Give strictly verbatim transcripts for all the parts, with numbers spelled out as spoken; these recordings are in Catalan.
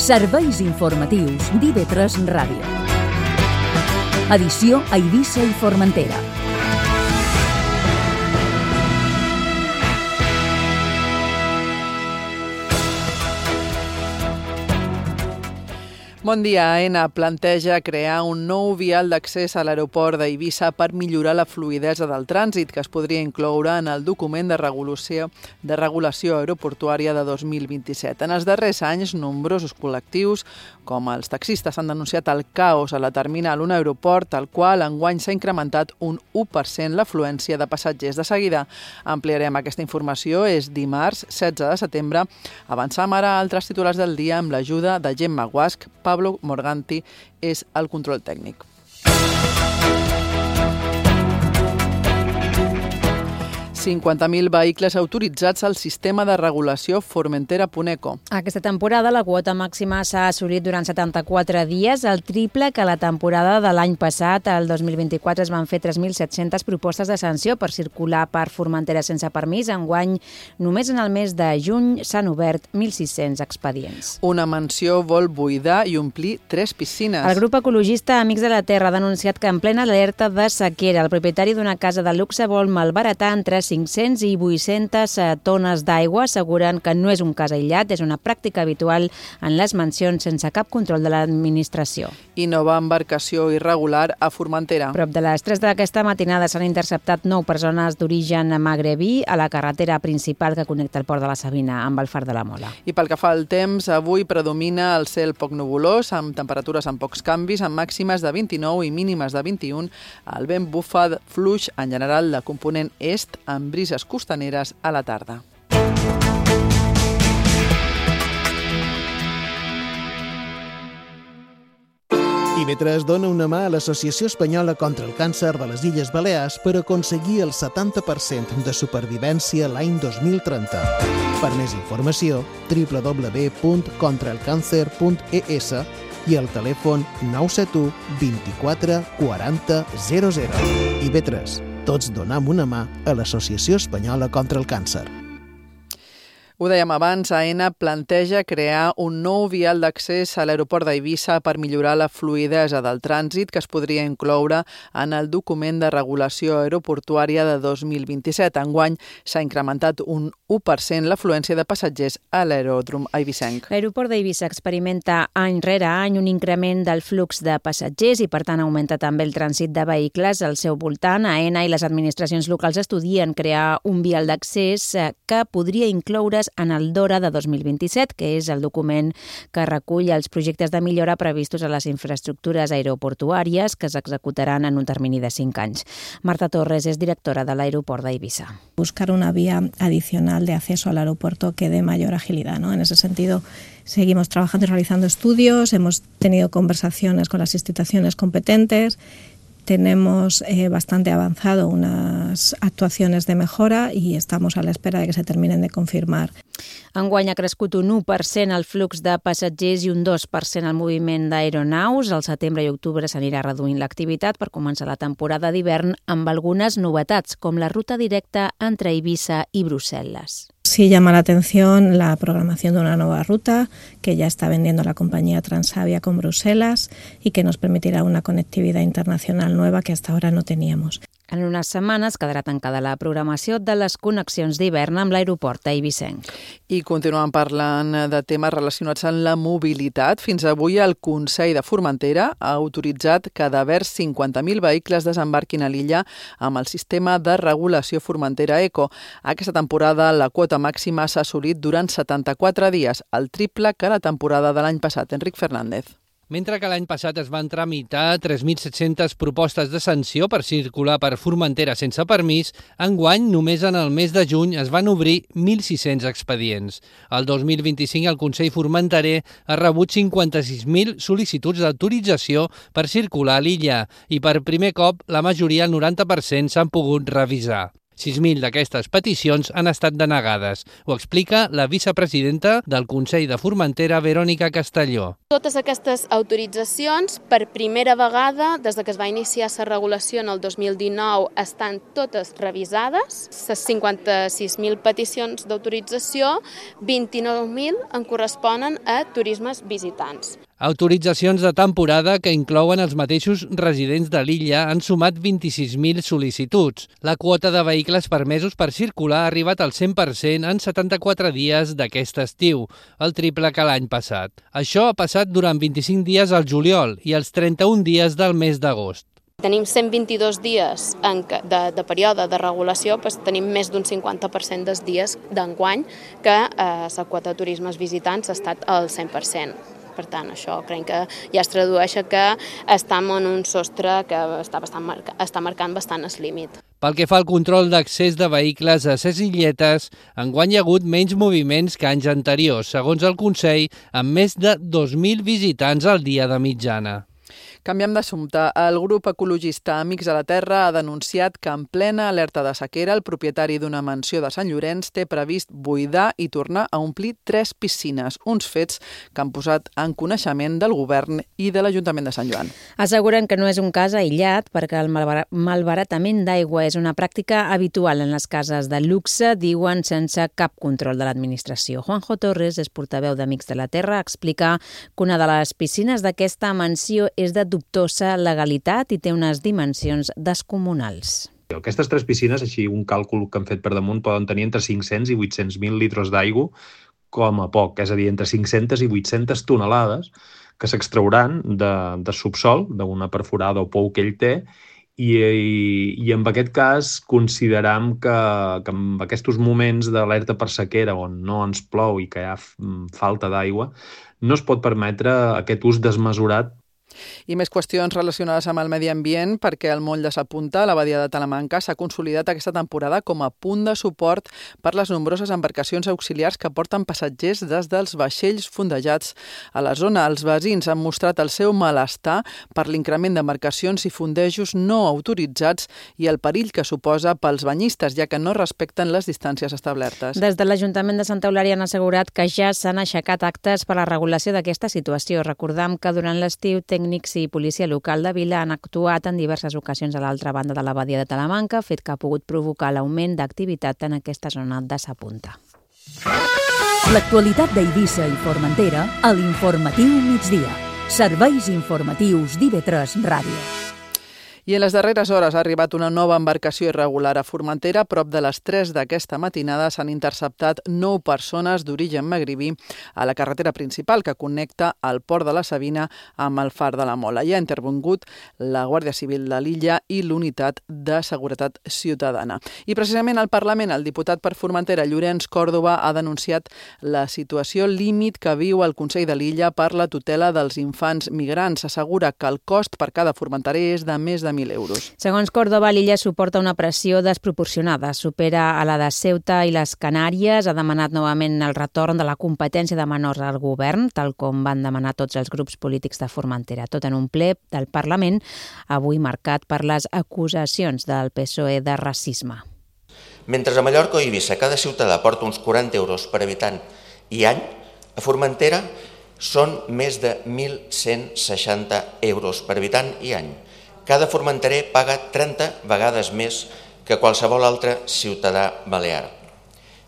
Serveis informatius d'I V tres Ràdio. Edició a Eivissa i Formentera. Bon dia. Aena planteja crear un nou vial d'accés a l'aeroport d'Eivissa per millorar la fluïdesa del trànsit, que es podria incloure en el document de regulació, de regulació aeroportuària de dos mil vint-i-set. En els darrers anys, nombrosos col·lectius, com els taxistes, han denunciat el caos a la terminal, un aeroport al qual enguany s'ha incrementat un u per cent l'afluència de passatgers. De seguida ampliarem aquesta informació. És dimarts, setze de setembre. Avançam ara a altres titulars del dia amb l'ajuda de Gemma Guasch. Pablo Morganti és el control tècnic. cinquanta mil vehicles autoritzats al sistema de regulació Formentera.eco. Aquesta temporada la quota màxima s'ha assolit durant setanta-quatre dies, el triple que la temporada de l'any passat. El dos mil vint-i-quatre es van fer tres mil set-centes propostes de sanció per circular per Formentera sense permís. Enguany, només en el mes de juny s'han obert mil sis-cents expedients. Una mansió vol buidar i omplir tres piscines. El grup ecologista Amics de la Terra ha denunciat que en plena alerta de sequera el propietari d'una casa de luxe vol malbaratar entre cinc-cents i vuit-centes tones d'aigua, asseguren que no és un cas aïllat, és una pràctica habitual en les mansions sense cap control de l'administració. I nova embarcació irregular a Formentera. A prop de les tres d'aquesta matinada s'han interceptat nou persones d'origen magrebí a la carretera principal que connecta el port de la Sabina amb el Far de la Mola. I pel que fa al temps, avui predomina el cel poc nuvolós, amb temperatures amb pocs canvis, amb màximes de vint-i-nou i mínimes de vint-i-un. El vent bufa fluix en general de component est, amb brises costaneres a la tarda. I V tres dona una mà a l'Associació Espanyola contra el Càncer de les Illes Balears per aconseguir el setanta per cent de supervivència l'any dos mil trenta. Per més informació, w w w punt contra el càncer punt e s i el telèfon nou set u vint-i-quatre quaranta zero zero. I V tres. Tots donam una mà a l'Associació Espanyola contra el Càncer. Ho dèiem abans, Aena planteja crear un nou vial d'accés a l'aeroport d'Eivissa per millorar la fluïdesa del trànsit, que es podria incloure en el document de regulació aeroportuària de dos mil vint-i-set. Enguany s'ha incrementat un u per cent l'afluència de passatgers a l'aeròdrom eivissenc. L'aeroport d'Eivissa experimenta any rere any un increment del flux de passatgers i, per tant, augmenta també el trànsit de vehicles al seu voltant. Aena i les administracions locals estudien crear un vial d'accés que podria incloure's en el DORA de dos mil vint-i-set, que és el document que recull els projectes de millora previstos a les infraestructures aeroportuàries que s'executaran en un termini de cinc anys. Marta Torres és directora de l'aeroport d'Eivissa. Buscar una vía adicional de acceso al aeropuerto que dé mayor agilidad, ¿no? En ese sentido, seguimos trabajando y realizando estudios, hemos tenido conversaciones con las instituciones competentes. Tenemos eh, bastante avanzado unas actuacions de mejora i estamos a l'espera de que se terminen de confirmar. Enguany ha crescut un u per cent el flux de passatgers i un dos per cent el moviment d'aeronaus. Al setembre i octubre s'anirà reduint l'activitat per començar la temporada d'hivern amb algunes novetats, com la ruta directa entre Eivissa i Brussel·les. Sí llama la atención la programación de una nueva ruta que ya está vendiendo la compañía Transavia con Bruselas y que nos permitirá una conectividad internacional nueva que hasta ahora no teníamos. En unes setmanes quedarà tancada la programació de les connexions d'hivern amb l'aeroport eivissenc. I continuem parlant de temes relacionats amb la mobilitat. Fins avui el Consell de Formentera ha autoritzat que devers cinquanta mil vehicles desembarquin a l'illa amb el sistema de regulació Formentera Eco. Aquesta temporada la quota màxima s'ha assolit durant setanta-quatre dies, el triple que la temporada de l'any passat. Enric Fernández. Mentre que l'any passat es van tramitar tres mil set-centes propostes de sanció per circular per Formentera sense permís, enguany, només en el mes de juny, es van obrir mil sis-cents expedients. El dos mil vint-i-cinc el Consell Formenterer ha rebut cinquanta-sis mil sol·licituds d'autorització per circular a l'illa i per primer cop la majoria, el noranta per cent, s'han pogut revisar. sis mil d'aquestes peticions han estat denegades. Ho explica la vicepresidenta del Consell de Formentera, Verònica Castelló. Totes aquestes autoritzacions, per primera vegada, des que es va iniciar la regulació en el dos mil dinou, estan totes revisades. Les cinquanta-sis mil peticions d'autorització, vint-i-nou mil en corresponen a turismes visitants. Autoritzacions de temporada que inclouen els mateixos residents de l'illa han sumat vint-i-sis mil sol·licituds. La quota de vehicles permesos per circular ha arribat al cent per cent en setanta-quatre dies d'aquest estiu, el triple que l'any passat. Això ha passat durant vint-i-cinc dies al juliol i els trenta-un dies del mes d'agost. Tenim cent vint-i-dos dies en que, de, de període de regulació, doncs tenim més d'un cinquanta per cent dels dies d'enguany que eh, la quota de turismes visitants ha estat al cent per cent. Per tant, això crec que ja es tradueix que estem en un sostre que està, bastant marca, està marcant bastant el límit. Pel que fa al control d'accés de vehicles a ses illetes, enguany hi ha hagut menys moviments que anys anteriors, segons el Consell, amb més de dos mil visitants al dia de mitjana. Canviem d'assumpte. El grup ecologista Amics de la Terra ha denunciat que en plena alerta de sequera el propietari d'una mansió de Sant Llorenç té previst buidar i tornar a omplir tres piscines, uns fets que han posat en coneixement del govern i de l'Ajuntament de Sant Joan. Asseguren que no és un cas aïllat perquè el malbaratament d'aigua és una pràctica habitual en les cases de luxe, diuen sense cap control de l'administració. Juanjo Torres, és portaveu d'Amics de la Terra, explica que una de les piscines d'aquesta mansió és de dubtosa legalitat i té unes dimensions descomunals. Aquestes tres piscines, així un càlcul que han fet per damunt, poden tenir entre cinc-cents i vuit-cents mil litres d'aigua com a poc, és a dir, entre cinc-centes i vuit-centes tonelades que s'extrauran de, de subsol, d'una perforada o pou que ell té, i, i, i en aquest cas consideram que, que en aquests moments d'alerta per sequera on no ens plou i que hi ha falta d'aigua, no es pot permetre aquest ús desmesurat. I més qüestions relacionades amb el medi ambient perquè el moll de sa Punta, a la badia de Talamanca, s'ha consolidat aquesta temporada com a punt de suport per les nombroses embarcacions auxiliars que porten passatgers des dels vaixells fondejats a la zona. Els veïns han mostrat el seu malestar per l'increment d'embarcacions i fondejos no autoritzats i el perill que suposa pels banyistes, ja que no respecten les distàncies establertes. Des de l'Ajuntament de Santa Eulària han assegurat que ja s'han aixecat actes per a la regulació d'aquesta situació. Recordam que durant l'estiu tècnics i policia local de Vila han actuat en diverses ocasions a l'altra banda de la badia de Talamanca, fet que ha pogut provocar l'augment d'activitat en aquesta zona de sa Punta. L'actualitat d'Eivissa i Formentera a l'Informatiu Migdia. Serveis informatius d'I V tres Ràdio. I en les darreres hores ha arribat una nova embarcació irregular a Formentera. A prop de les tres d'aquesta matinada s'han interceptat nou persones d'origen magribí a la carretera principal que connecta el port de la Sabina amb el far de la Mola. Hi ha intervingut la Guàrdia Civil de l'illa i l'Unitat de Seguretat Ciutadana. I precisament al Parlament, el diputat per Formentera, Llorenç Còrdova, ha denunciat la situació límit que viu el Consell de l'Illa per la tutela dels infants migrants. Assegura que el cost per cada formenterer és de més de mil euros. Segons Còrdova, l'illa suporta una pressió desproporcionada. Supera a la de Ceuta i les Canàries. Ha demanat novament el retorn de la competència de menors al govern, tal com van demanar tots els grups polítics de Formentera. Tot en un ple del Parlament, avui marcat per les acusacions del P S O E de racisme. Mentre a Mallorca o Eivissa cada ciutadà porta uns quaranta euros per habitant i any, a Formentera són més de mil cent seixanta euros per habitant i any. Cada formenterer paga trenta vegades més que qualsevol altre ciutadà balear.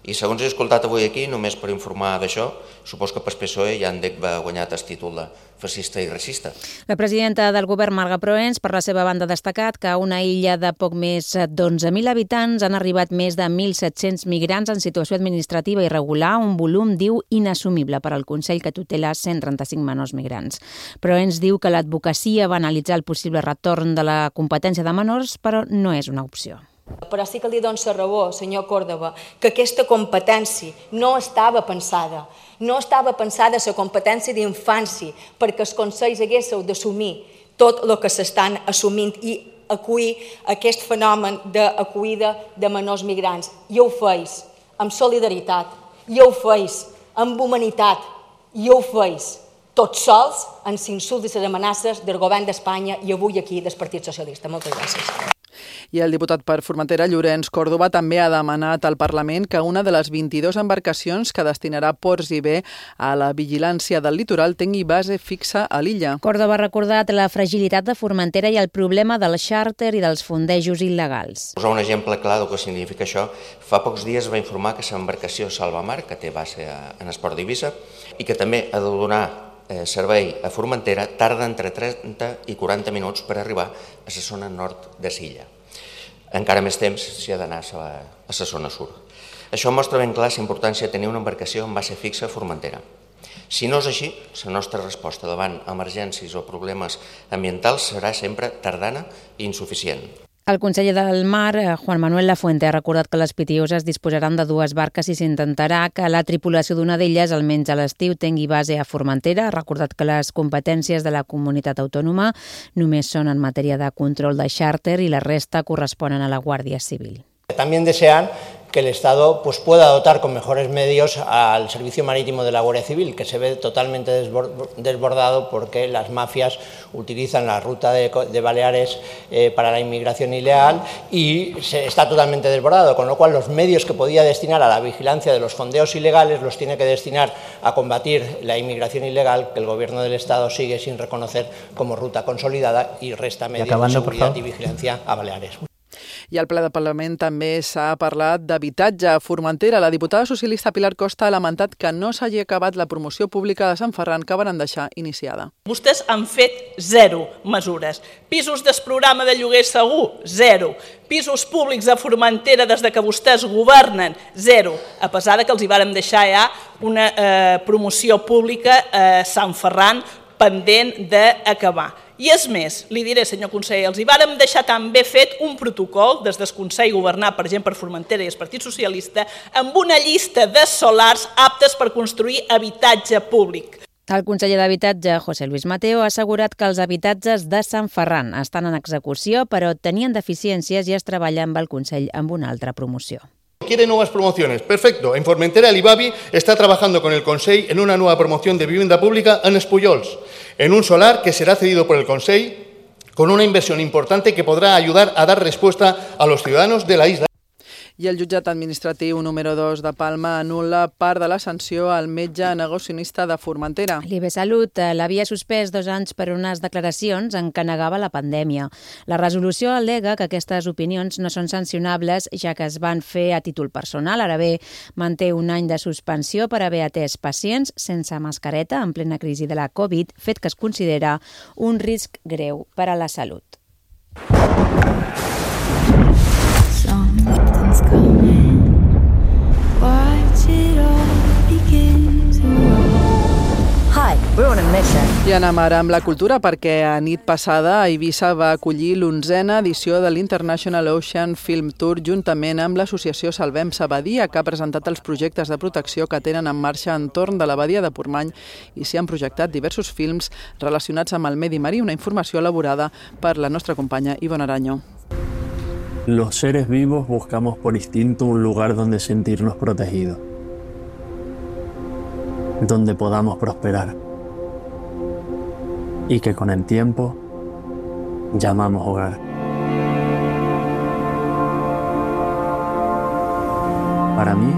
I segons he escoltat avui aquí, només per informar d'això, supos que pel P S O E ja han d'haver guanyat el títol de fascista i racista. La presidenta del govern, Marga Proens, per la seva banda ha destacat que a una illa de poc més d'onze mil habitants han arribat més de mil set-cents migrants en situació administrativa irregular, un volum, diu, inassumible per al Consell que tutela cent trenta-cinc menors migrants. Proens diu que l'advocacia va analitzar el possible retorn de la competència de menors, però no és una opció. Però sí que li dono la raó, senyor Còrdova, que aquesta competència no estava pensada. No estava pensada la competència d'infància perquè els consells haguéssiu d'assumir tot el que s'estan assumint i acollir aquest fenomen d'acollida de menors migrants. I ho feis amb solidaritat, i ho feis amb humanitat, i ho feis tots sols, amb insults i les amenaces del govern d'Espanya i avui aquí del Partit Socialista. Moltes gràcies. I el diputat per Formentera, Llorenç Còrdova, també ha demanat al Parlament que una de les vint-i-dues embarcacions que destinarà Ports i Bé a la vigilància del litoral tingui base fixa a l'illa. Còrdova ha recordat la fragilitat de Formentera i el problema del xàrter i dels fondejos il·legals. Posar un exemple clar del que significa això. Fa pocs dies va informar que l'embarcació Salvamar, que té base en Esport d'Eivissa i que també ha de donar servei a Formentera, tarda entre trenta i quaranta minuts per arribar a la zona nord de l'illa. Encara més temps si ha d'anar a la zona sud. Això mostra ben clar la importància de tenir una embarcació amb base fixa a Formentera. Si no és així, la nostra resposta davant emergències o problemes ambientals serà sempre tardana i insuficient. El conseller del Mar, Juan Manuel Lafuente, ha recordat que les pitioses disposaran de dues barques i s'intentarà que la tripulació d'una d'elles, almenys a l'estiu, tingui base a Formentera. Ha recordat que les competències de la comunitat autònoma només són en matèria de control de xàrter i la resta corresponen a la Guàrdia Civil. También desean que el Estado pues, pueda dotar con mejores medios al servicio marítimo de la Guardia Civil, que se ve totalmente desbordado porque las mafias utilizan la ruta de, de Baleares eh, para la inmigración ilegal y se, está totalmente desbordado, con lo cual los medios que podía destinar a la vigilancia de los fondeos ilegales los tiene que destinar a combatir la inmigración ilegal, que el Gobierno del Estado sigue sin reconocer como ruta consolidada y resta medios de seguridad y vigilancia a Baleares. I al ple de Parlament també s'ha parlat d'habitatge a Formentera. La diputada socialista Pilar Costa ha lamentat que no s'hagi acabat la promoció pública de Sant Ferran que van deixar iniciada. Vostès han fet zero mesures. Pisos del programa de lloguer segur, zero. Pisos públics a Formentera des de que vostès governen, zero. A pesar que els hi vàrem deixar ja una eh, promoció pública a Sant Ferran pendent d'acabar. I és més, li diré, senyor conseller, els hi vàrem deixar també fet un protocol des del Consell governat, per exemple, per Formentera i el Partit Socialista, amb una llista de solars aptes per construir habitatge públic. El conseller d'Habitatge, José Luis Mateo, ha assegurat que els habitatges de Sant Ferran estan en execució, però tenien deficiències i es treballa amb el Consell amb una altra promoció. ¿Quiere nuevas promociones? Perfecto. En Formentera, el IBABI está trabajando con el Consell en una nueva promoción de vivienda pública en Espullols, en un solar que será cedido por el Consell con una inversión importante que podrá ayudar a dar respuesta a los ciudadanos de la isla. I el jutjat administratiu número dos de Palma anul·la part de la sanció al metge negacionista de Formentera. L'I B Salut l'havia suspès dos anys per unes declaracions en què negava la pandèmia. La resolució al·lega que aquestes opinions no són sancionables, ja que es van fer a títol personal. Ara bé, manté un any de suspensió per haver atès pacients sense mascareta en plena crisi de la Covid, fet que es considera un risc greu per a la salut. I anem ara amb la cultura perquè a nit passada Eivissa va acollir l'onzena edició de l'International Ocean Film Tour juntament amb l'associació Salvem sa Badia, que ha presentat els projectes de protecció que tenen en marxa entorn de la badia de Portmany i s'hi han projectat diversos films relacionats amb el medi marí, una informació elaborada per la nostra companya Ivonne Araño. Los seres vivos buscamos por instinto un lugar donde sentirnos protegidos, donde podamos prosperar y que con el tiempo llamamos hogar. Para mí,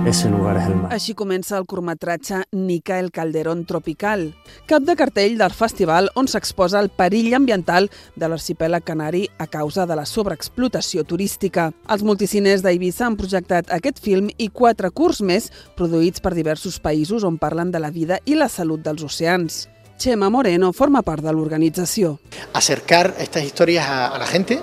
ese lugar és el mar. Així comença el curtmetratge Nica el Calderón Tropical, cap de cartell del festival on s'exposa el perill ambiental de l'arxipèlag canari a causa de la sobreexplotació turística. Els multicines d'Eivissa han projectat aquest film i quatre curts més produïts per diversos països on parlen de la vida i la salut dels oceans. Chema Moreno forma part de l'organització. Acercar estas historias a, a la gente,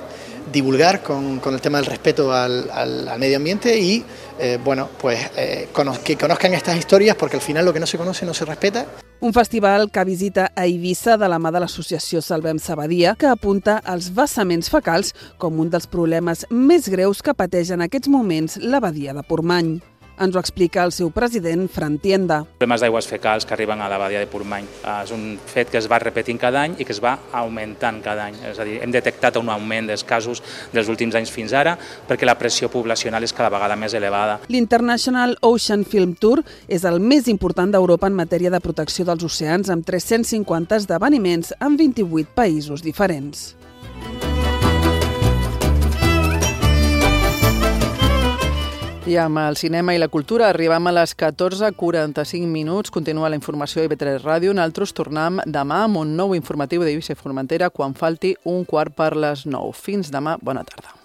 divulgar con, con el tema del respeto al, al, al medio ambiente y eh, bueno, pues eh, cono que conozcan estas historias, porque al final lo que no se conoce no se respeta. Un festival que visita a Eivissa de la mà de l'associació Salvem sa Badia, que apunta als vessaments fecals com un dels problemes més greus que pateix en aquests moments la badia de Portmany. Ens ho explica el seu president, Fran Tienda. Problemes d'aigües fecals que arriben a la badia de Portmany. És un fet que es va repetint cada any i que es va augmentant cada any. És a dir, hem detectat un augment dels casos dels últims anys fins ara perquè la pressió poblacional és cada vegada més elevada. L'International Ocean Film Tour és el més important d'Europa en matèria de protecció dels oceans, amb tres-cents cinquanta esdeveniments en vint-i-vuit països diferents. I amb el cinema i la cultura arribem a les catorze quaranta-cinc minuts. Continua la informació a I V tres Ràdio. Nosaltres tornem demà amb un nou informatiu d'Eivissa i Formentera quan falti un quart per les nou. Fins demà, bona tarda.